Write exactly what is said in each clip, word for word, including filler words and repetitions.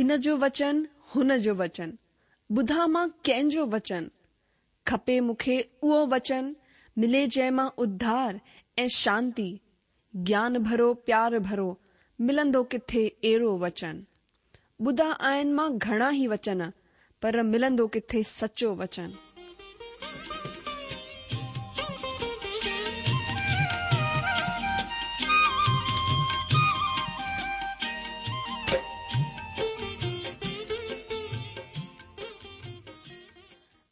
हिन जो वचन, हुन जो वचन, ॿुधां मां कंहिंजो वचन? खपे मूंखे उहो वचन, मिले जंहिं मां उद्धार ऐं शांती, ज्ञान भरो प्यार भरो, मिलंदो किथे अहिड़ो वचन? ॿुधा आहिनि मां घणा ई वचन, पर मिलंदो किथे सचो वचन?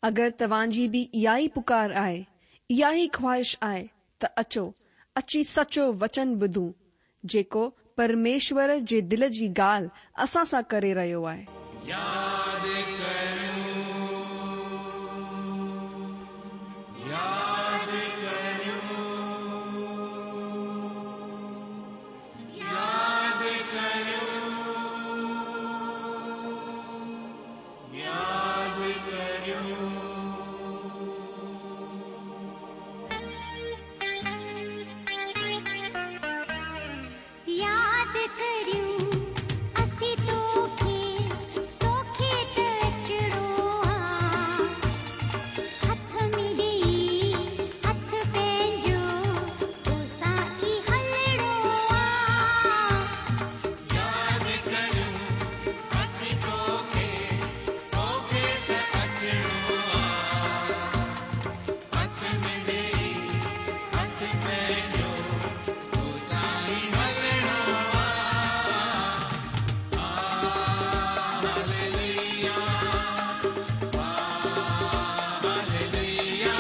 अगरि तव्हांजी बि इहा ई पुकार आहे, इहा ई ख़्वाहिश आहे त अचो, अची सचो वचन ॿुधूं, जेको परमेश्वर जे दिलि जी ॻाल्हि असां सां करे रहियो आहे। याद करियूं, याद करियूं, याद करियूं, याद करियूं। याद करियूं असीं तोखे, तोखे त अचिणो आ। हथ में ॾेई हथ पंहिंजो, तोसां ई हलणो आ। याद करियूं असीं तोखे, तोखे त अचिणो आ। हथ में ॾेई हथ पंहिंजो, तोसां ई हलणो आ। Hallelujah, hallelujah, hallelujah,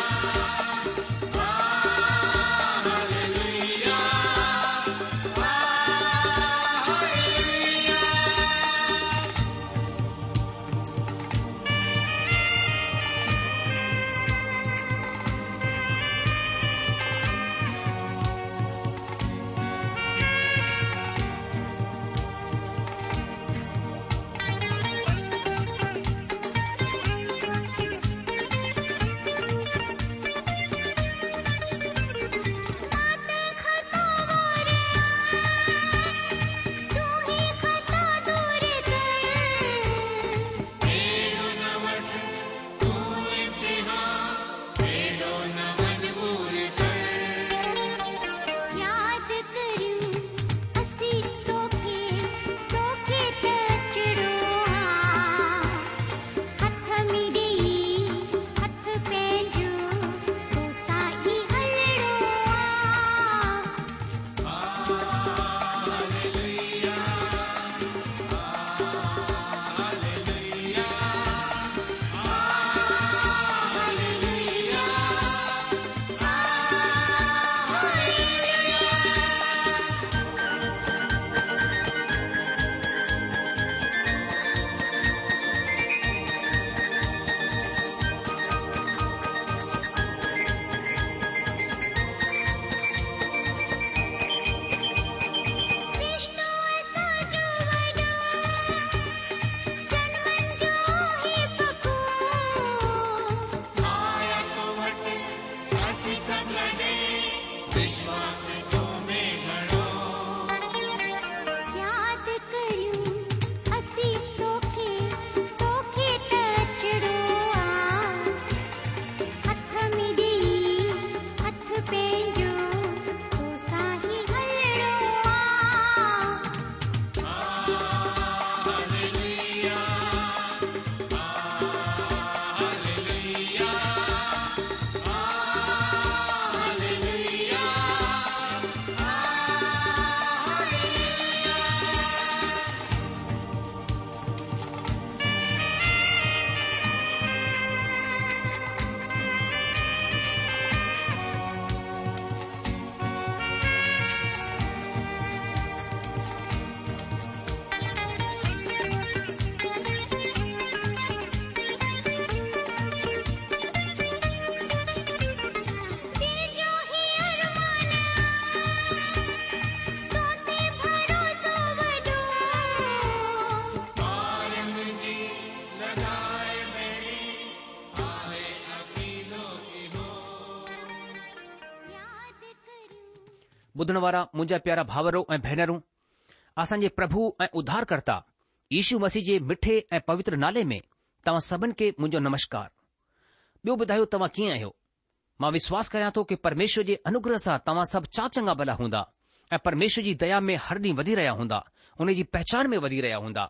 hallelujah. मां त ख़ता वार तूं ही ख़ता दूर कर। एॾो न वठि तूं इम्तिहान, एॾो न मजबूर कर। याद करियूं असीं तोखे, तोखे त अचिणो आ। हथ में ॾेई हथ पंहिंजो, तोसां ई हलणो आ। Hallelujah, hallelujah, hallelujah, hallelujah. Vishnu असांजो वॾो, जनमनि जो ही पको। आया तो वटि असीं सभु लॾे, विश्वास तो में घणो। याद करियूं असीं तोखे, तोखे त अचिणो आ। हथ में ॾेई हथ पंहिंजो, तोसां ई हलणो आ। Hallelujah, hallelujah, hallelujah, hallelujah. तुंहिंजो ही अरमान आ, तो ते भरोसो वॾो। ॿारनि जी लॻाए ॿेड़ी, आहे अक़ीदो इहो। याद करियूं ॿुधण वारा मुंहिंजा प्यारा भाउरो ऐं भेनरूं, असांजे प्रभु ऐं उद्धारकर्ता يشو مسيح جي مٺي ۽ پوتر نالي ۾ توهان سڀن کي منهنجو نمشڪار. ٻيو ٻڌايو توهان ڪيئن آهيو؟ مان وشواس ڪريان ٿو ڪي پرميشور جي انوگره سان توهان سڀ چاڪ چڱا ڀلا هوندا ۽ پرميشور جي ديا ۾ هر ڏينهن وڌي رهيا هوندا، ان جي پهچان ۾ وڌي رهيا هوندا.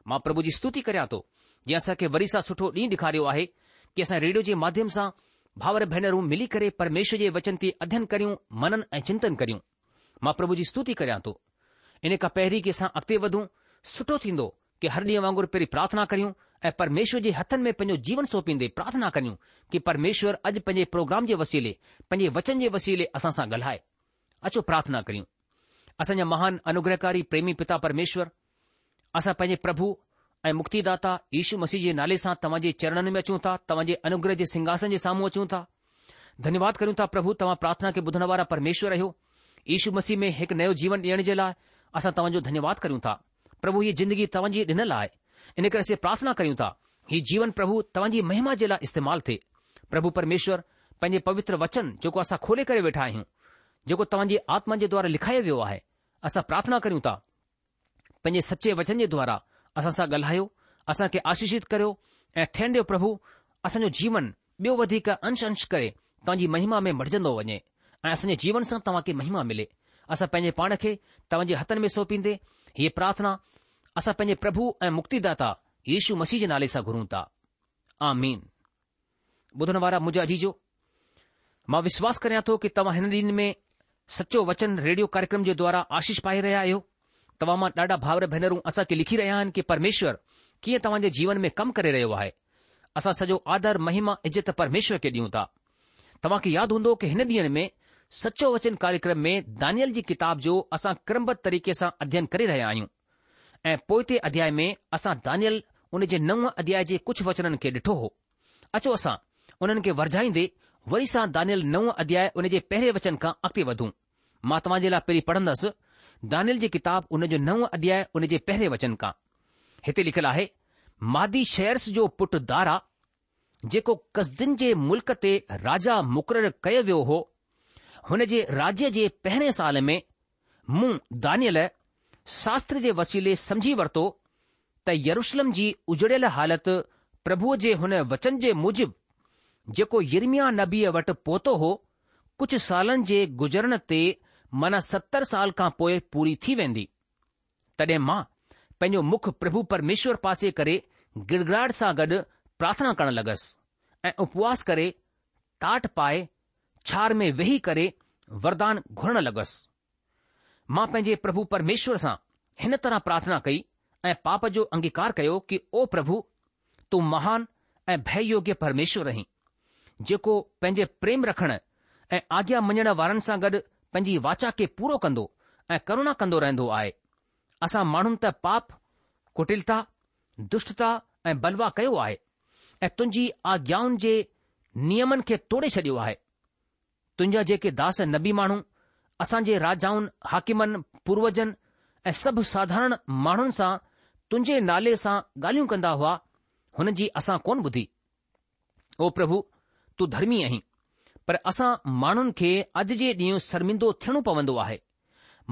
مان پرڀو جي ستوتي ڪريان ٿو جنهن اسان کي وري سان سٺو ڏينهن ڏيکاريو آهي ڪي اسان ريڊيو جي ماڌيم سان ڀائر ڀينرون ملي ڪري پرميشور جي وچن تي اڌين ڪريون، منن ۽ چنتن ڪريون. مان پرڀو جي ستوتي ڪريان ٿو. ان کان پهرين ڪي اسان اڳتي وڌون، سٺو ٿيندو ڪي هر ڏينهن وانگر پهرين پرارٿنا ڪريون ۽ پرميشور جي هٿن ۾ پنهنجو جيون سونپيندي پرارٿنا ڪريون ڪي پرميشور اڄ پنهنجي پروگرام جي وسيلي، پنهنجي وچن جي وسيلي اسان سان ڳالهائي. اچو پرارٿنا ڪريون. اسان جا مهان انوگرهڪاري پريمي پتا پرميشور، اسان پنهنجي پرڀو ۽ مڪتيداتا يشو مسيح جي نالي سان توهان جي چرڻن ۾ اچون ٿا، توهان جي انوگره جي سنگهاسن جي سامهون اچون ٿا. ڌنيواد ڪريون ٿا پرڀو توهان پرارٿنا کي ٻڌڻ وارا پرميشور آهيو. يشو مسيح ۾ هڪ نيو جيون ڏيڻ جي لاء اسان توهان جو ڌنيواد ڪريون ٿا. پرڀو هيء زندگي توهان جي ڏنل آهي. ان ڪري اسين پرارٿنا ڪريون ٿا هي جيون پرڀو توهان جي مهما جي لاء استعمال ٿئي. پرڀو پرميشور پنهنجي پوتر وچن جيڪو اسان کولي ڪري ويٺا آهيون، جيڪو توهان جي آتما جي دوارا لکايو ويو آهي، اسان پرارٿنا ڪريون ٿا پنهنجي سچي وچن جي دوارا اسان سان ڳالهايو، اسان کي آشيشت ڪريو ۽ ٿيڻ ڏيو پرڀو اسان جو جيون ٻيو وڌيڪ انش انش ڪري توهان جي مهما ۾ مٽجندو وڃي ۽ اسان جي جيون سان توهان کي مهما ملي. اسان پنهنجي پاڻ کي توهان جي هٿن ۾ سونپيندي هيء پرارٿنا اسان پنهنجي پرڀو ۽ مڪتيداتا يشو مسيح جي نالي سان گهرون ٿا. آمين. ٻڌڻ وارا منهنجا عزيزو، مان وشواس ڪريان ٿو ڪي توهان هن ڏينهن ۾ سچو وچن ريڊيو ڪاريڪرم جي دوارا آشيش پائي رهيا آهيو. توهان مان ڏاڍا ڀائر ڀينرون اسان کي لکي رهيا آهن ڪي پرميشور ڪيئن توهان جي جيون ۾ ڪم ڪري رهيو آهي. اسان سڄو آدر، مهما، عزت پرميشور کي ڏيون ٿا. توهان کي ياد هوندو ڪي هن ڏينهن ۾ سچو وچن ڪاريڪرم ۾ دانيل جي ڪتاب جو اسان ڪرمبڌ طريقي سان اڌين ڪري رهيا آهيون ۽ پوئتي اڌياء ۾ اسان دانيل ان جي نو اڌياء جي ڪجهه وچنن کي ڏٺو هو. اچو اسان انهن کي ورجائيندي وري سان دانيل نو اڌياء ان جي پهرين وچن کان اڳتي وڌون. مان توهان جي لاء پهرين پڙهندس دانيل جي ڪتاب ان جو نو اڌياء ان جي پهرين وچن کان. هتي لکيل آهي، مادي شيرس جو پٽ دارا، جيڪو ڪسدين جي ملڪ تي راجا مقرر ڪيو ويو هو، هن جي راجيه جي پهرين سال ۾ مون دانيل شاستر جي وسيلي سمجهي ورتو ته يروشلم جي اجڙيل حالت پرڀوء جي هن وچن جي موجب جيڪو يرمياه نبيء وٽ پهتو هو، ڪجهه سالن جي گذرڻ تي معنيٰ ستر سال کان پوء پوري ٿي ويندي. تڏهن مان پنهنجو مک پرڀو پرميشور پاسي ڪري گڙگڙاهٽ سان گڏ پرارٿنا ڪرڻ لڳس ۽ اپواس ڪري ٽاٽ پائي ڇار ۾ ويهي ڪري وردان گهرڻ لڳس. مان پنهنجي پرڀو پرميشور سان هن طرح پرارٿنا ڪئي ۽ پاپ جو انگيڪار ڪيو ڪي او پرڀو، تون مهان ۽ ڀئه يوگيه پرميشور آهين، جيڪو پنهنجي پريم رکڻ ۽ آگيا مڃڻ وارن سان گڏ پنهنجي واچا کي پورو ڪندو ۽ ڪروڻا ڪندو رهندو آهي. اسان ماڻهن ته پاپ، ڪٽلتا، دشٽتا ۽ بلوا ڪيو آهي ۽ تنهنجي آگيائن جي نيمن کي توڙي ڇڏيو آهي. تنهنجا جيڪي داس نبي ماڻهو اسان جي راجائن، حاڪمن، پوروجن ۽ سڀ ساڌارڻ ماڻهن سان تنهنجي نالي سان ڳالهيون ڪندا هئا، هن جي اسان ڪونه ٻڌي. او پرڀو، تون ڌرمي آهين، پر اسان ماڻهن کي اڄ جي ڏينهن شرمندو ٿيڻو پوندو آهي.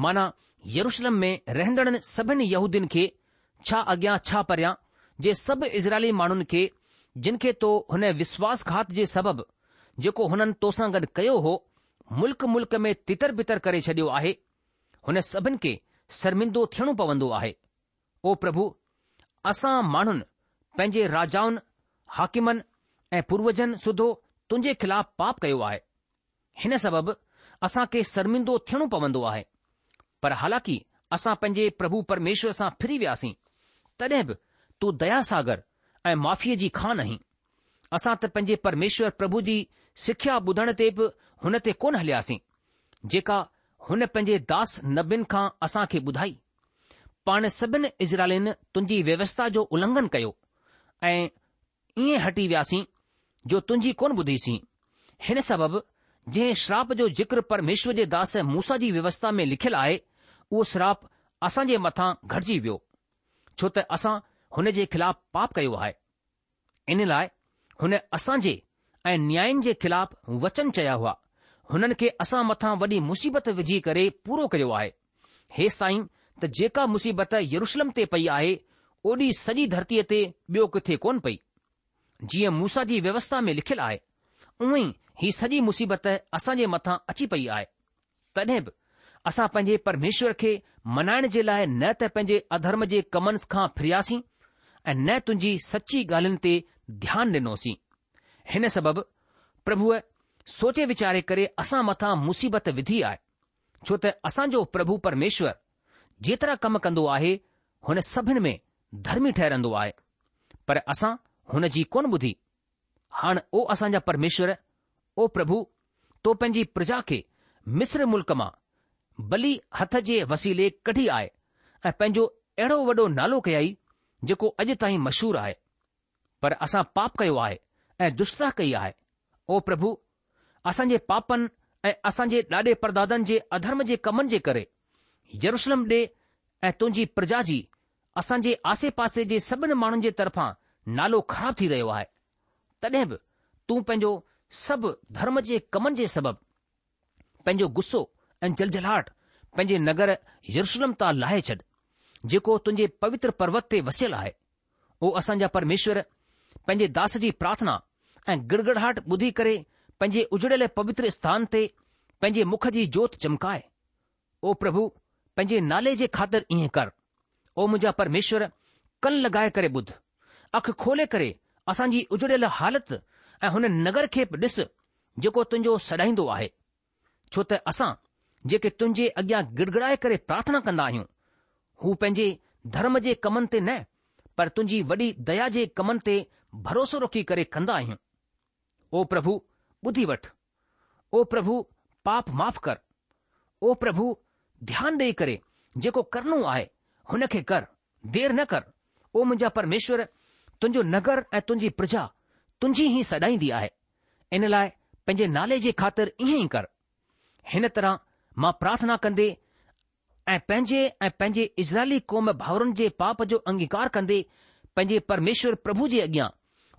معنيٰ يروشلم ۾ رهندڙن سڀن يهودين کي، ڇا اڳيان ڇا پريان، جي سڀ اسرائيلي ماڻهن کي، جن کي تو هن وشواس گهات جي سبب، جيڪو هنن توسان گڏ ڪيو هو، ملڪ ملڪ ۾ تتر بتر ڪري ڇڏيو آهي، هن سڀن کي شرمندو ٿيڻو پوندو آهي. او پرڀو، اسان ماڻهن پنهنجي راجائن، حاڪمن ۽ پوروجن سوڌو تنهنجي خلاف پاپ ڪيو آهي. هن سبب اسان کي شرمندو ٿيڻو پوندو آهي. پر حالانڪه اسان پنهنجي پرڀو پرميشور سان ڦري وياسين، تڏهن به تون ديا ساگر ۽ معافيء جي کان آهين. اسان ته پنهنجي پرميشور پرڀو جي سکيا ٻڌڻ تي به هن تي ڪونه هلياسين، جيڪا هن پنهنجي داس نبين کان اسان کي ٻڌائي. پاڻ سڀن اسرائيلين تنهنجي ويوسٿا جو النگهن ڪيو ۽ ائين هٽي وياسين جو تنهنجي ڪونه ٻڌيسين. هن سبب جنهن شراپ جو ذڪر پرميشور جي داس موسيٰ جي ويوسٿا ۾ لکيل آهي، اهو شراپ اسان جي مٿان گهٽجي ويو، ڇو ته اسان هن جي خلاف پاپ ڪيو آهي. ان لاء هن اسان جي ۽ نيائين جي خلاف وچن چيا هئا، هنن کي اسان مٿان وڏي مصيبت وجهي ڪري پورو ڪيو آهي، هيستائين ته جيڪا مصيبت يروشلم تي پئي آهي، اوڏي سڄي ڌرتيء تي ٻيو ڪٿي ڪونه پئي. جيئن موسيٰ جي ويوسٿا ۾ لکيل آهي، اونئن ئي هي سڄي مصيبت اسان جي مٿان اچي پئي آهي. تڏهن به اسان پنهنجي پرميشور کي منائڻ جي لاء نه ته پنهنجي اڌرم جي ڪمن کان ڦرياسين ۽ نه تنهنجي سچي ڳالهين تي ڌيان ڏنوسين. هن سبب پرڀوء سوچي ويچاري ڪري اسان مٿان مصيبت وڌي آهي، ڇو ته اسان جو پرڀو پرميشور جيترا ڪم ڪندو آهي، هن سڀن ۾ ڌرمي ٺهرندو آهي، پر اسان هن جي ڪونه ٻڌي. هاڻ او اسان جا پرميشور، او پرڀو، تو پنهنجي پرجا کي مصر ملڪ مان ٻلي هٿ جي وسيلي ڪڍي آهي ۽ پنهنجو اهڙو وڏو نالو ڪيائي، جيڪو اڄ تائين مشهور آهي. پر اسان پاپ ڪيو آهي ۽ دشٽتا ڪئي آهي. او پرڀو، اسان جي پاپن ۽ اسان جي ڏاڏي پردادن جي اڌرم جي ڪمن جي ڪري يروشلم ڏي ۽ تنهنجي پرجا جي اسان جي آسي پاسي جي سڀن ماڻهن جي طرفان نالو خراب ٿي رهيو آهي. تڏهن به تون پنهنجو سڀ ڌرم جي ڪمن جي سبب پنهنجو غصو ۽ جلجلاهٽ پنهنجي نگر يروشلم تان لاهي ڇڏ، جيڪو تنهنجي پوتر پروت تي وسيل آهي. او اسان جا پرميشور، پنهنجي داس جي پرارٿنا ۽ گڙگڙاهٽ ٻڌي ڪري پنهنجي اجڙيل پوتر اسٿان تي پنهنجي مک جي جوت چمڪائي. او پرڀو، پنهنجي نالي جي خاطر ائين ڪر. او منهنجا پرميشور، ڪن لڳائي ڪري ٻڌ. اک کولي ڪري اسان جي اجڙيل حالت ۽ هن نگر کي به ڏس، جيڪو تنهنجو سڏائيندو آهي. ڇو ته اسان جيڪي تنهنجي اڳيان گڙگڙائي ڪري پرارٿنا ڪندا آهيون، هو پنهنجي ڌرم جي ڪمن تي نه، پر تنهنجي وڏي ديا جي ڪمن تي ڀروسو رکي ڪري ڪندا آهيون. او پرڀو، ٻڌي وٺ. او پرڀو، پاپ معاف ڪر. او پرڀو، ڌيان ڏيئي ڪري جيڪو ڪرڻو آهي، هن کي ڪر، دير نه ڪر. او منهنجا پرميشور، تنهنجو نگر ۽ تنهنجي پرجا تنهنجي ئي سڏائيندي آهي. ان لاء پنهنجي نالي جي خاطر ائين ئي ڪر. هن طرح مان پرارٿنا ڪندي ۽ پنهنجي ۽ پنهنجي اسرائيلي قوم ڀائرن جي پاپ جو انگيڪار ڪندي پنهنجي پرميشور پرڀو جي اڳيان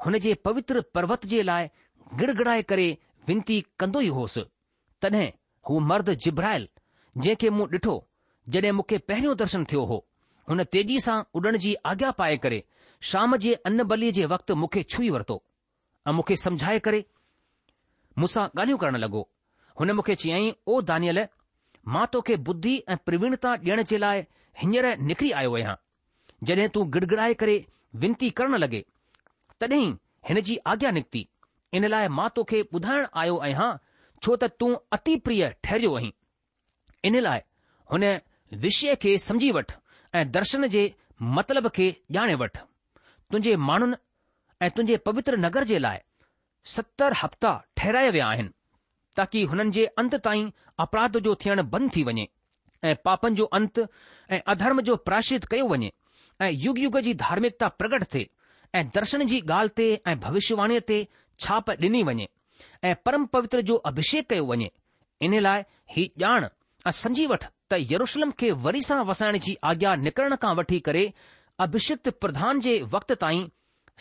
هن جي پوتر پروت جي لاء گڙگڙائي ڪري وينتي ڪندو ئي هوس. تڏهن هو مرد جبرائيل، جنهن کي مون ڏٺو، جڏهن مون کي پهريون درشن ٿيو هو، هن تيزي سان اڏڻ جي آگيا پائي ڪري شام جي ان بليء جي وقت مون کي ڇهي ورتو ۽ مون کي سمجهائي ڪري مون سان ڳالهيون ڪرڻ لڳو. هن مون کي چيائين، او دانيئيل، مان توکي ٻڌي ۽ پرويڻتا ڏيڻ جي لاء هينئر نڪري آيو آهيان. جڏهن تون گڙگڙائي ڪري وينتي ڪرڻ لڳي، تڏهن ئي هن جي آگيا نڪتي. ان لاء مان توکي ٻڌائڻ آيو آهيان، ڇو ته تون اتي پريه ٺهريو آهين. ان لاء هن وشيه کي سمجهي وٺ ۽ درشن جي مطلب کي ڄاڻي وٺ. تنهنجي ماڻهن ۽ تنهنجي پوتر نگر جي لاء ستر هفتا ٺهرايا ويا آهن، تاڪي هنن جي انت تائين اپراڌ جو ٿيڻ بند ٿي وڃي ۽ پاپن جو انت ۽ اڌرم جو پراشچت ڪيو وڃي ۽ يگ يگ جي ڌارمڪتا پرگٽ ٿئي ۽ درشن جي ڳالهه تي ۽ ڀوشيواڻيء تي ڇاپ ڏني وڃي ۽ پرم پوتر جو اڀشيڪ ڪيو وڃي. ان لاء هي ڄاڻ ۽ سمجهي وٺ ته يروشلم کي وري سان وسائڻ جي آگيا نڪرڻ کان وٺي ڪري اڀشڪت پرڌان جي وقت تائين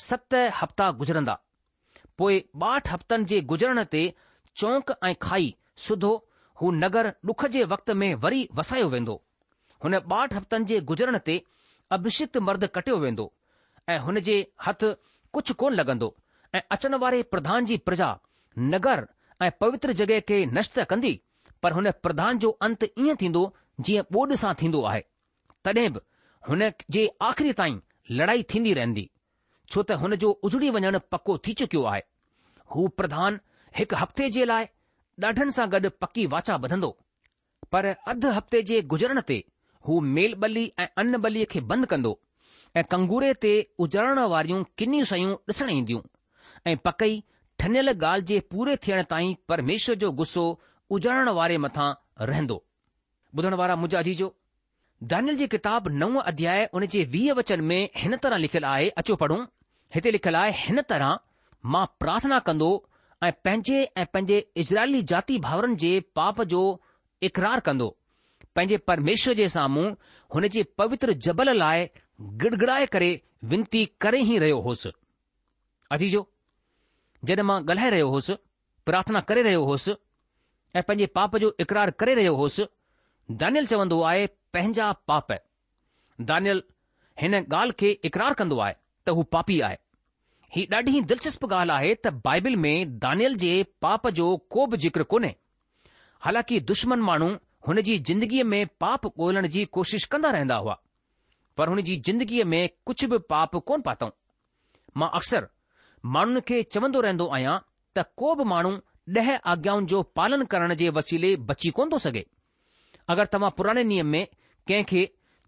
ست هفتا گذرندا. پوء ٻاهٺ هفتن جي گذرڻ تي چونڪ ۽ کائي سوڌو هو نگر ڏک جي وقت ۾ وري وسايو ويندو. هن ٻاهٺ هفتن جي گذرڻ تي اڀشڪت مرد ڪٽيو ويندو ۽ هن جي هٿ ڪجهه ڪونه لڳندو ۽ اچڻ واري پرڌان جي پرجا نگر ۽ پوتر جڳهه کي نشٽ ڪندي، پر هن پرڌان جو انت ائين ٿيندو جيئن ٻوڏ سان ٿيندو آهي. تڏهن به هن جي آخري تائين لڙائي ٿيندي رهندي، ڇو ته هن جو اجڙي وڃڻ پڪو ٿي چڪيو آهي. هو پرڌان هڪ هفتي جي لاء ڏاڍن سان گڏ پڪي واچا ٻڌندو، پر اڌ هفتي جي گذرڻ تي هو ميل ٻلي ۽ ان ٻليء کي بند ڪندو ۽ ڪنگوري تي اجاڙڻ واريون ڪنيون شيون ڏسڻ اينديون ۽ پڪئي ٺنيل ڳالهه جي پوري ٿيڻ تائين پرميشور جو غصو اجاڙڻ واري مٿان رهندو. ٻڌڻ وارا منهنجا عزيزو! دانيل جي ڪتاب نو اڌياء ان جي ويهه وچن ۾ هن طرح لکيل آهي، اچو پڙهون، هتي لکيل آهي، هن طرح مان پرارٿنا ڪندو ۽ پنهنجي ۽ پنهنجي اسرائيلي جاتي ڀائرن جي پاپ جو اقرار ڪندو، پنهنجي پرميشور جي سامهون هن جي پوتر جبل لاء گڙگڙائي ڪري وينتي ڪري ئي رهيو هوس. عزيزو! جڏهن مان ڳالهائي رهيو هوس، پرارٿنا ڪري رهيو هوس ۽ پنهنجي پاپ جو اقرار ڪري رهيو هوس، دانيل چوندو آهي پنهنجا پاپ. دانيل هن ڳالهه کي اقرار ڪندو آهي ته هو پاپي آهي. هي ڏاڍي ئي دلچسپ ڳالهه آهي ته بائبل ۾ دانيل جي پاپ جو ڪو به ذڪر ڪونهي. حالانڪه دشمن ماڻهو هن جي زندگيء ۾ پاپ ڳولڻ جي ڪوشش ڪندا رهندا هئا، پر هن جي زندگيء ۾ ڪجهه به پاپ ڪونه پاتائون. مان اڪثر ماڻهن کي چوندو رهندو آهيان ته ڪو به ماڻهو ڏهه آگيائن جو پالن ڪرڻ جي وسيلي بچي ڪونه ٿو سگهي. اگر توهان پراڻي نيم ۾ ڪنهن کي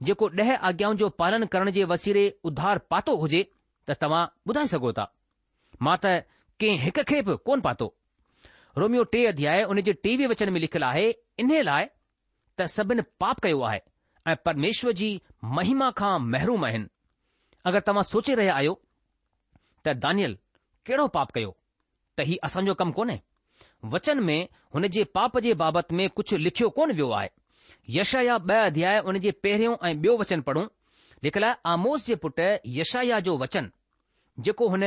جيڪو ڏهه آگيائن جو پالن ڪرڻ جي وسيلي اڌار پاتو هجي ته توهان ٻڌائي سگهو ٿا. مان ته ڪنهن هڪ کي به ڪونه پاتو. روميو ٽي اڌياء ان جي ٽيويهه وچن ۾ لکيل آهي، انهي لاء ته سڀن پاپ ڪيو آهي ۽ پرميشور جي مهما کان محروم آهن. اگر توهان سوچي رهيا آهيو ته دانيل ڪهڙو پاپ ڪيو ته هي اسان جو ڪم ڪونهي. وچن ۾ هن جي پاپ جي بابت ۾ ڪجهه لکيو ڪونه ويو آهي. يشعيا ٻه اڌياء ان جي پهريون ۽ ٻيو وچن پڙهون. لکيل آهي آموس جي پٽ يشعيا جو وچن، جيڪو هن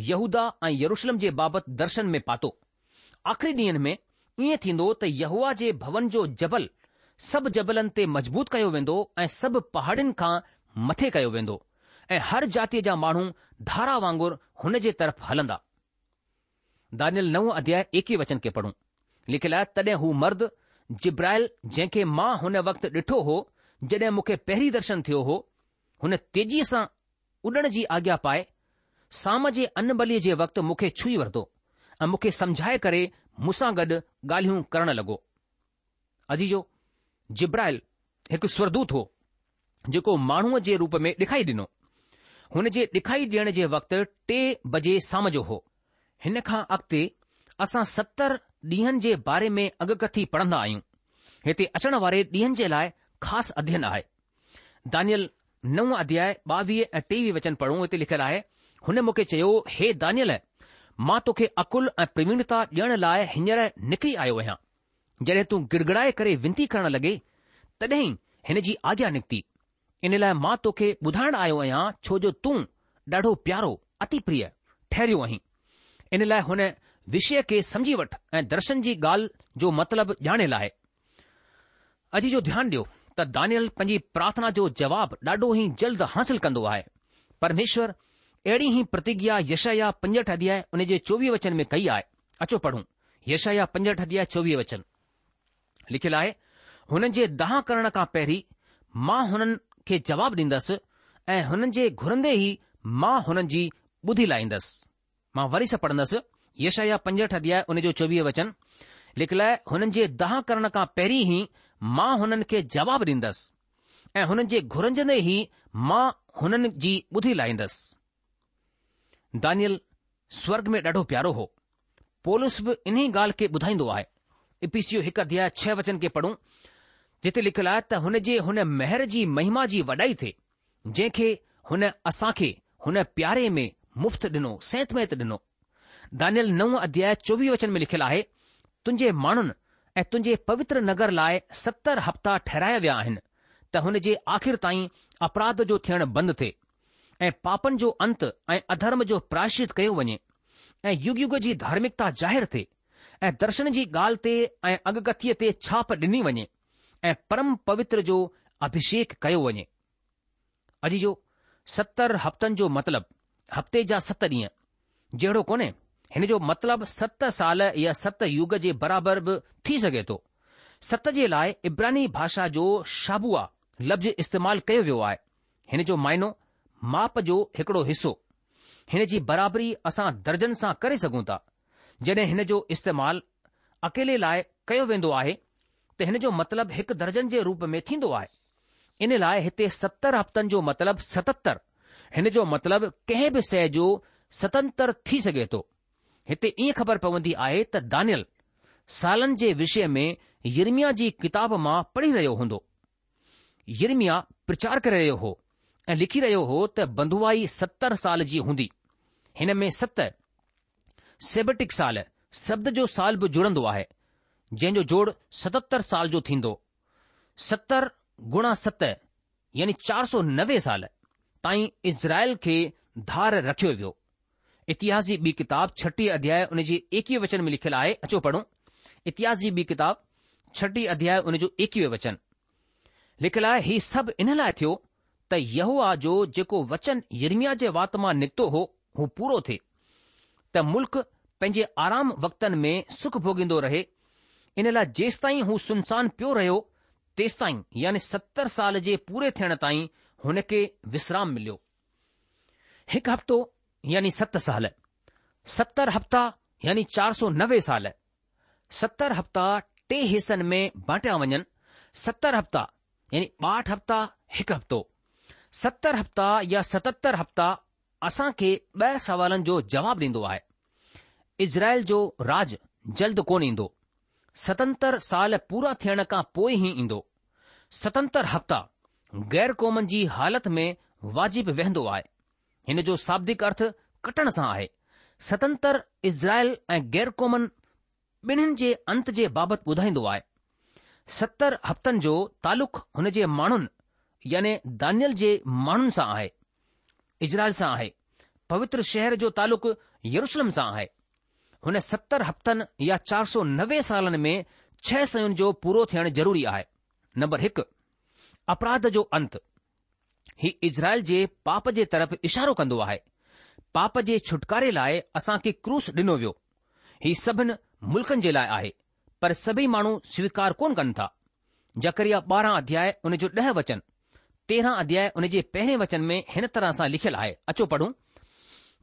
يهوداه ۽ يروشلم جي بابت درشن ۾ پاتو. آخري ڏينهن ۾ ائين ٿيندو ته يهوه جي ڀون جو جبل سڀ جبلن تي مضبوط ڪيو ويندو ۽ سڀ پهاڙين کان مٿي ڪيو ويندو ۽ هر جاتيء جا ماڻهو ڌارا وانگر هن جي طرف هلندا. دانيل نو اڌياء ايڪويهه وچن کي پڙهون. لکيل آهي تڏهن هو مرد جبرائيل جنهن کي مان هن وقت ڏٺو هو جڏهن مون کي پهرين درشن ٿيو هو، هن تيزيء سان اڏڻ جي آگيا پائي سام جي ان بليء جي وقت مون کي ڇهي ورتو ۽ مون کي سمجهائي ڪري مون سان گڏ ڳالهيون ڪرڻ لڳو. عزيزو، جبرائيل هڪ سورگدوت هو جيڪو ماڻهوء جي روپ ۾ ڏکائي ڏنو. هن جي ڏکائي ڏيڻ جي وقت ٽي بجي سام جو هو. هن کان اڳتي اسان ستر ڏينهن جي باري ۾ اڳڪٿي پڙهندا آهيون. هتي اچڻ واري ڏينهن جي لاء خاص اڌين آهي. دانيل نو اڌياء ٻاويهه ۽ ٽيويهه وچن پڙهون هتي لکيل آهي، هن مون کي چيو، هي دانيل، مان توکي عقل ۽ پرويڻتا ڏيڻ لاء هينئر نڪري آيو آهيان. جڏهن تون گڙگڙائي ڪري ونتي ڪرڻ لڳي، تڏهن ئي هن جي آگيا نڪتي. ان لاء مان توکي ٻڌائڻ آيو آهيان ڇو جو تون ڏاڍو پيارو، اتي پريه، ٺهريو آهين. ان لاء هن وشيه کي سمجهي وٺ ۽ درشن جي ڳالهه جو مطلب ڄاڻي لاهه. عزيزو ڌيان ڏيو ته دانيل پنهنجي پرارٿنا جو جواب ڏاڍو ئي جلد حاصل ڪندو آهي. پرميشور اهڙي ئي پرتگيا يشعيا پنجهٺ اڌياء ان جي چوويهه وچن ۾ ڪئي آهي. اچو پڙهون يشعيا پنجهٺ اڌياء چوويهه وچن. لکيل آهي، هنن جي دانهن ڪرڻ کان پهرين مان هنن کي جواب ڏيندس ۽ هنن جي گهرندي ئي مان هنن جي ٻڌي لاهيندس. مان وري سان پڙهندس، يشعيا پنجهٺ اڌياء ان جو چوويهه وچن، لکيل آهي، هنن جي دانهن ڪرڻ کان پهرين ئي مان هنن کي جواب ڏيندس ۽ هنن جي گهرجندي ئي مان هنن جي ٻڌي لاهيندس. دانيل سورگ ۾ ڏاڍو پيارو هو. پولس به انهي ڳالهه کي ٻڌائيندو آهي. اپيسيو هڪ اڌياء ڇهه وچن کي پڙهون، جتي لکيل آهي ته هن جي هن مهر جي مهما جي وڏائي ٿئي، جنهن کي هن اسان کي هن پياري ۾ مفت ڏنو، سينت ۾ ڏنو. دانيل نو اڌياء چوويهه وچن ۾ لکيل آهي، تنهنجي ماڻهن ۽ تنهنجي پوتر نگر لاء ستر هفتا ٺهرايا ويا آهن ته هن جي آخر تائين اپراڌ جو ٿيڻ بند ٿئي ۽ پاپن جو انت ۽ اڌرم جو پراشچت ڪيو وڃي ۽ يگ يگ جي ڌارمڪتا ظاهر ٿئي ۽ درشن جي ڳالهه تي ۽ اڳڪٿيء تي ڇاپ ڏني وڃي ۽ پرم پوتر جو اڀشيڪ ڪيو وڃي. عزيزو، ستر هفتن جو مطلب هفتي جا ست ڏينهن جهڙو ڪونهي، هن جو مطلب ست سال يا ست يگ جي برابر به ٿي سگهي ٿو. ست جي لاء عبراني ڀاشا جو شابوا لفظ استعمال ڪيو ويو آهي. هن جو معنو ماپ جو هڪڙو حصو. هن جي برابري اسان درجن سان ڪري سگهون ٿا. جڏهن هن جو استعمال اڪيلي لاء ڪيو ويندو آهي ته هن جو مطلب هڪ درجن جي روپ ۾ ٿيندو آهي. ان لاء هتي ستر هفتن جو مطلب ستتر، هن جو مطلب ڪنهن به شيء جو ستتر ٿي سگهي ٿو. هتي ائين خبر پوندي آهي ته دانيل سالن جي وشي ۾ يرمياه جي ڪتاب مان پڙهي رهيو هوندو. يرمياه پرچار ڪري رهيو هو ۽ لکي رهيو هو ته بنڌوائي ستر سال جي هوندي. هن ۾ ست سيبٽڪ سال شبد جو سال به جڙندو آهي، جنهن جو جوڙ ستتر سال جو ٿيندو. ستر گڻا ست يعني چار سؤ نوي سال تائين اسرائيل کي ڌار رکيو ويو. اتهاس جي ٻي ڪتاب ڇٽيهه اڌياء ان جي ايڪويهه وچن ۾ لکيل آهي، اچو پڙهون. اتهاس جي ٻي ڪتاب ڇٽيهه اڌياء ان جو ايڪويهه وچن لکيل آهي، هي سڀ ان لاء ٿيو ته يهوه جو جيڪو وچن يرمياه جي وات مان نڪتو هو، هو پورو ٿئي، ته ملڪ پنهنجي آرام وقتن ۾ سک ڀوڳيندو رهي، ان لاء جيستائين هو سنسان پيو رهيو، تيستائين يعني ستر سال جي پوري ٿيڻ تائين هن کي وسرام مليو. هڪ هفتو يعني ست سال، ستر هفتا يعني چار سؤ نوي سال، ستر هفتا ٽي حصن ۾ بانٽيا وڃن، ستر هفتا يعني ٻاهٺ هفتا هڪ هفتو، ستر هفتا يا ستتر هفتا اسان کي ٻه سوالن جو جواب ڏيندو آهي. اسرائيل جو راج جلد ڪونه ايندو. ستتر سال پورا ٿيڻ کان پوء ئي ايندو. ستتر هفتا غير قومن جي حالت ۾ واجب ويهندو آهي. هن جو شابدڪ ارٿ ڪٽڻ سان آهي. ستتر اسرائيل ۽ غير قومن ٻنهين جي انت جي بابت ٻڌائيندو آهي. ستر هفتن جو تعلق هن جي ماڻهن يعني دانيل جي ماڻهن سان آهي. اسرائيل سان آهي. پوتر شهر جو تعلق يروشلم سان آهي. هن ستر هفتن يا چار سؤ نوي سالن ۾ ڇهه شين جو پورو ٿيڻ ضروري آهي. نمبر هڪ، اپراڌ جو انت. هي اسرائيل جي پاپ جي طرف اشارو ڪندو آهي. پاپ جي ڇوٽڪاري لاء اسان کي ڪروس ڏنو ويو. هي سڀن ملڪن جي لاء آهي، پر سڀئي ماڻهو سويڪار ڪونه ڪن ٿا. زڪريا ٻارهن اڌياء ان جو ڏهه وچن، تيرهن اڌياء ان جي پهرين وچن ۾ هن طرح سان لکيل آهي. اچو پڙهون.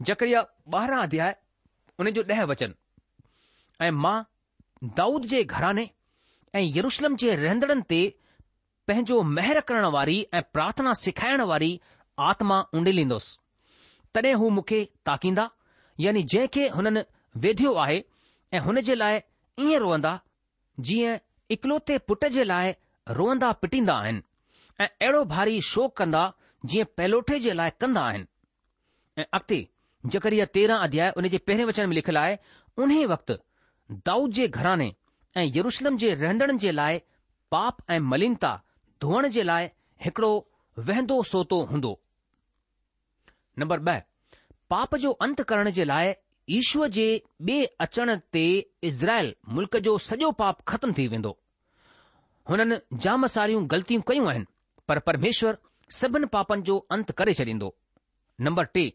زڪريا ٻارهن اڌياء ان جو ڏهه وچن، ۽ مان دائود جي گهراڻي ۽ يروشلم جي رهندڙن تي پنهنجو مهر ڪرڻ واري ۽ پرارٿنا سکائڻ واري آتما اونڊيليندس. تڏهن هو مون کي تاڪيندا، يعني جنهن کي هنن ويڌيو آهي، ۽ هن جي لاء ائين روئندا، جيئن اڪلوتي پٽ جي لاء روئندا پٽيندا آهن، ۽ اهڙو ڀاري شوڪ ڪندا، جيئن پهلوٺي جي لاء ڪندا آهن. ۽ اڳتي زڪريا تيرهن اڌياء ان جي پهرين وچن ۾ لکيل آهي، انهيء وقت دائود جي گهراڻي ۽ يروشلم جي رهندڙن جي لاء پاپ ۽ ملينتا ڌوئڻ جي لاء هڪڙو وهندو سوتو هوندو. نمبر ٻه، پاپ جو انت ڪرڻ جي لاء يشوع جي ٻئي اچڻ تي اسرائيل ملڪ جو سڄو پاپ ختم ٿي ويندو. هنن جام ساريون غلطيون ڪيون آهن، پر پرميشور سڀن پاپن جو انت ڪري ڇڏيندو. نمبر ٽي،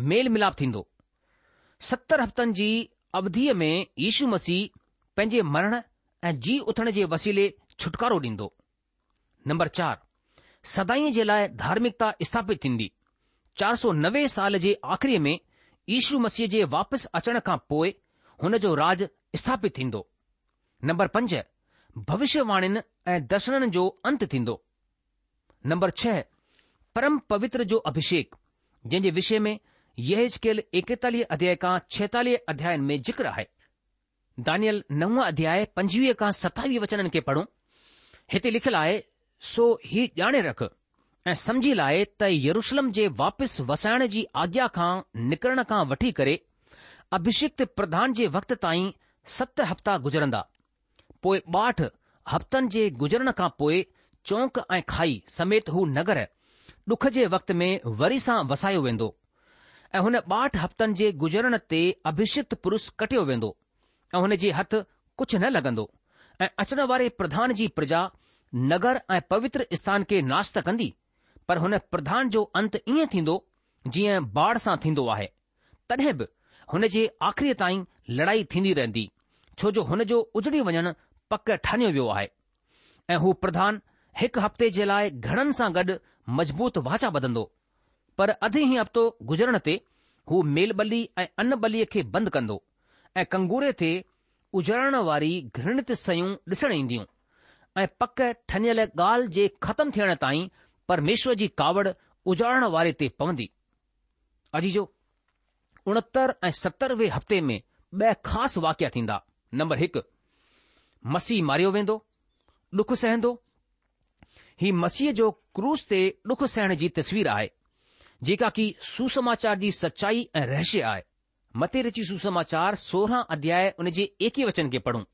ميل ملاپ ٿيندو. ستر هفتن جي اوڌيء ۾ يشو مسيح پنهنجي مرڻ ۽ جي اٿڻ جي وسيلي ڇوٽڪارو ڏيندو. نمبر چار، سدائين جي لاء ڌارمڪتا اسٿاپت ٿيندي. چار سؤ نوي سال جي آخريء ۾ يشو مسيح جي واپس اچڻ کان پوء هن جو راج اسٿاپت ٿيندو. نمبر پنج، ڀوشيواڻين ۽ درشنن جو انت ٿيندو. نمبر ڇهه، پرم پوتر جو اڀشيڪ، جنهن جي وشي ۾ يحزقيل ايڪيتاليهه اڌياء کان ڇهيتاليهه اڌيائن ۾ ذڪر آهي. دانيل نو اڌياء پنجويهه کان ستاويهه وچنن کي پڙهون. هتي لکيل آهي، سو هي ڄاڻي رک ۽ سمجهي لاء ته يروشلم جي واپس وسائڻ جي آگيا کان نڪرڻ کان وٺي ڪري اڀشڪت پرڌان جي وقت تائين ست هفتا گذرندا. پوء ٻاهٺ هفتن جي گذرڻ کان پوء چونڪ ۽ کائي سميت هو نگر ڏک جي وقت ۾ وري سان وسايو ويندو ۽ هن ٻاهٺ هفتن جي گذرڻ تي اڀشڪت پرش ڪٽيو ويندو ۽ هن جي هٿ ڪجهه نه لڳندو ۽ اچڻ واري پرڌان جي پرجا نگر ۽ پوتر اسٿان کي ناش ته ڪندي، پر هن پرڌان جو انت ائين ٿيندو جيئن باڙ سان ٿيندو آهي، تڏهن به هن جي آخريء تائين لڙائي ٿيندي رهندي، ڇو جو هن جو اجڙي وڃڻ پڪ ٺانيو ويو آهي. ۽ هو پرڌان هڪ هفتي جي لاء گهڻن سان گڏ مضبوط واچا ٻڌندو، پر اڌ ئي هفتو گذرڻ تي هو ميل ٻلي ۽ ان ٻليء کي بند ڪندو ۽ ڪنگوري تي اجاڙڻ واري گهرڻت شيون ڏسڻ اينديون ۽ پڪ ٺنيل ڳالهه جي ختم ٿيڻ تائين پرميشور جي ڪاوڙ اجاڙڻ واري تي پوندي. عزيزو! اڻهتر ۽ ستروين هفتي ۾ ٻه خاص واقعا ٿيندا. نمبر هڪ، مسيح ماريو ويندو، ڏک سهندو. هي مسيح جو ڪروس تي ڏک سهڻ جي تصوير آهي، جيڪا ڪي سوسماچار جي سچائي ۽ رهسيه آهي. متي رچي سوسماچار سورهن اڌياء ان جي ايڪيهه وچن کي پڙهون.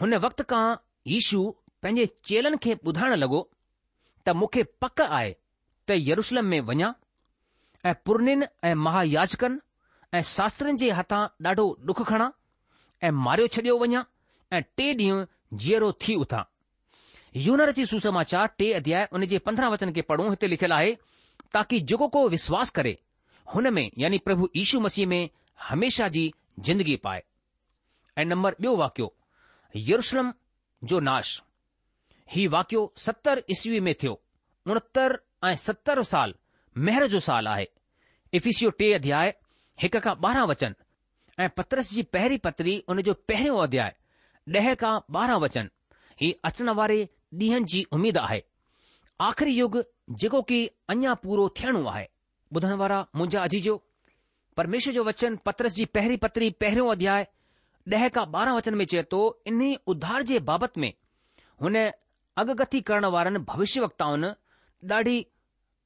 هن وقت کان يشو پنهنجي چيلن کي ٻڌائڻ لڳو ته مون کي پڪ آهي ته يروشلم ۾ وڃان ۽ پرنين ۽ مهاياجڪن ۽ شاسترين جي هٿان ڏاڍو ڏک کڻان ۽ ماريو ڇڏيو وڃان ۽ ٽئين ڏينهن جيئرو ٿي اٿان. يوحنا رچي سوسماچار ٽي اڌياء ان جي پندرهن وچن کي پڙهون، هتي لکيل آهي، تاڪي جيڪو ڪو وشواس ڪري هن ۾ يعني پرڀو يشو مسيح ۾ هميشه جي زندگي پائي. ۽ نمبر ٻيو واقعو يروشلم جو ناش. هي واقعو ستر عيسوي ۾ ٿيو. اڻهتر ۽ ستر سال مهر جو سال آهي. افسيو ٽي اڌياء هڪ کان ٻارهن وچن ۽ پطرس جي پهرين پتري ان جو پهريون اڌياء ڏهه کان ٻارهن وچن. هي اچڻ واري ڏينهن جي اميد آهي. آخري يگ جيڪو ڪي اڃا پورو ٿيڻو آهي. ٻڌڻ وارا منهنجا عزيزو، پرميشور جو وچن پطرس جي پهرين پتري پهريون اڌياء ڏهه کان ٻارهن وچن ۾ چئي ٿو، انهي اڌار جي بابت ۾ هن اڳڪٿي ڪرڻ وارن ڀوشيه وڪتائن ڏاڍي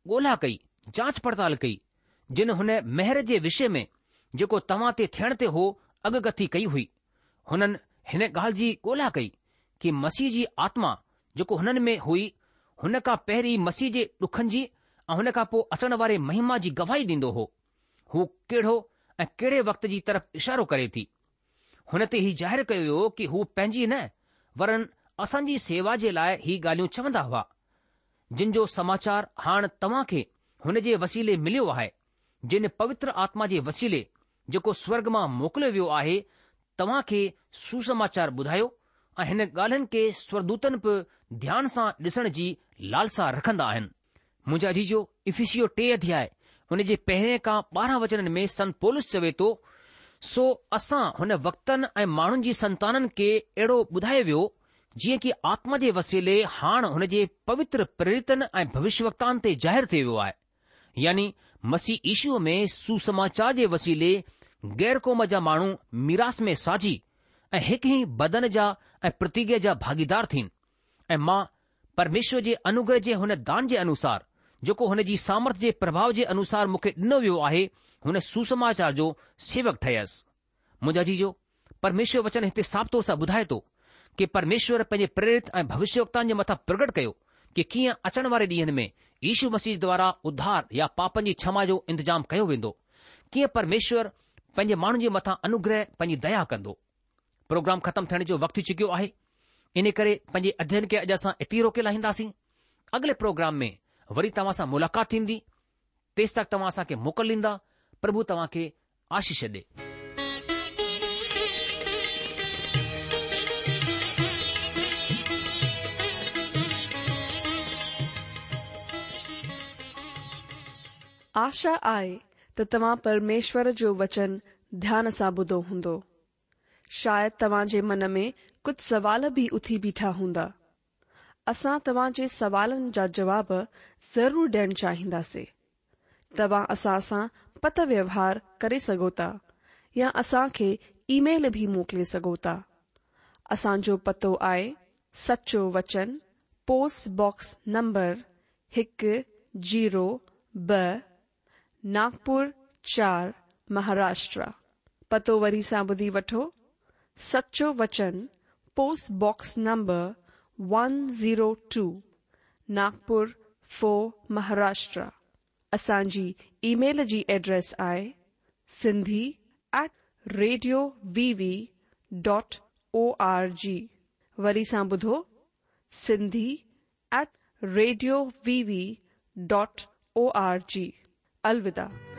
ڳولا ڪئي، جانچ پڙتال ڪئي، جن هن مهر جي وشي ۾ جيڪو توهان تي ٿيڻ تي هو اڳڪٿي ڪئي هئي. هنن هن ڳالهه جي ڳولا ڪئي ڪي مسيح جي آتما جيڪو هنن ۾ هئي، هن کان پهرين مسيح جي ڏکن جي ۽ هن کان پوء اچڻ واري مهما جي گواهي ڏيندو هو. هو ڪهڙو ۽ ڪهڙي وقت جي طرف اشارو ڪري ٿي. هن تي هي ظاهر ڪيو ويو ڪي هو پنهنجي نه ورن اسان جي سيوا جي لاء هي ڳالهيون چوندا هئا، جن جو سماچار هاڻ توهان کي هن جي وسيلي مليو آهي، جن پوتر آتما جي وسيلي جيڪو سورگ مان موڪليو ويو آهي توهان کي سوسماچار ٻڌايو ۽ هن ڳالهين کي سورگدوتن به ڌيان سان ڏسڻ جي لالسا رکندا آهن. منهنجا عزيزو، افسيو ٽي اڌياء ان جي پهرين کان ٻارهن وچنن ۾ سنت پولس چوي ٿو، سو اسان هن وقتن ۽ ماڻهن جي سنتانن کي اهڙو ٻڌايو ويو، جيئن ڪي آتما جي وسيلي هاڻ هن جي پوتر پريرتن ۽ ڀوشيه وڪتائن تي ظاهر ٿي ويو آهي، يعني مسيح يشوء ۾ سوسماچار جي وسيلي غير قوم جا ماڻهو ميراث ۾ ساجهي ۽ هڪ ئي بدن جا ۽ پرتگيا جا ڀاڳيدار ٿين. ۽ مان پرميشور جي انوگره جي هن دان جي انوسار، جيڪو هن جي سامرٿ جي پرڀاء جي انوسار مون کي ڏنو ويو آهي، هن سوسماچار جو سيوڪ ٺهيس. منهنجا عزيزو، پرميشور وچن هتي صاف طور سان ٻڌائي ٿو ڪي پرميشور پنهنجي پريرت ۽ ڀوشيه وڪتائن جي مٿان پرگٽ ڪيو ڪي ڪيئن اچڻ واري ڏينهن ۾ يشو مسيح دوارا اڌار يا پاپن جي ڇما جو انتظام ڪيو ويندو، ڪيئن پرميشور پنهنجي ماڻهن جي مٿان انوگره پنهنجي ديا ڪندو. پروگرام ختم ٿيڻ جو وقت ٿي چڪيو آهي، ان ڪري پنهنجي اڌيين کي اڄ اسان اتي روڪي لاهينداسين. اڳلي پروگرام ۾ وري توهان سان ملاقات ٿيندي، تيس تڪ توهان اسان کي موڪل ڏيندا. پرڀو توهان کي آشيش ڏي. آشا آهي ته توهان پرميشور جو وچن ڌيان سان ٻڌو هوندو. شايد توهان جي من ۾ ڪجهه سوال به اٿي بيٺا هوندا. اسان توهان جي سوالن جا جواب ضرور ڏيڻ چاهينداسين. توهان اسان سان پتر ويوهار ڪري سگهو ٿا يا اسان کي اي ميل به موڪلي سگهو ٿا. اسان جو پتو آهي سچو وچن، پوسٽ باڪس نمبر هڪ زيرو ٻه، ناگپور چار، مهاراشٽر. پتو وري سان ٻڌي وٺو، سچو وچن، post box number one zero two, Nagpur four, Maharashtra. اسان جي اي ميل جي ايڊريس آهي Sindhi at radio V V dot O R G. وري سان ٻڌو، Sindhi at radio V V dot O R G. الوداع.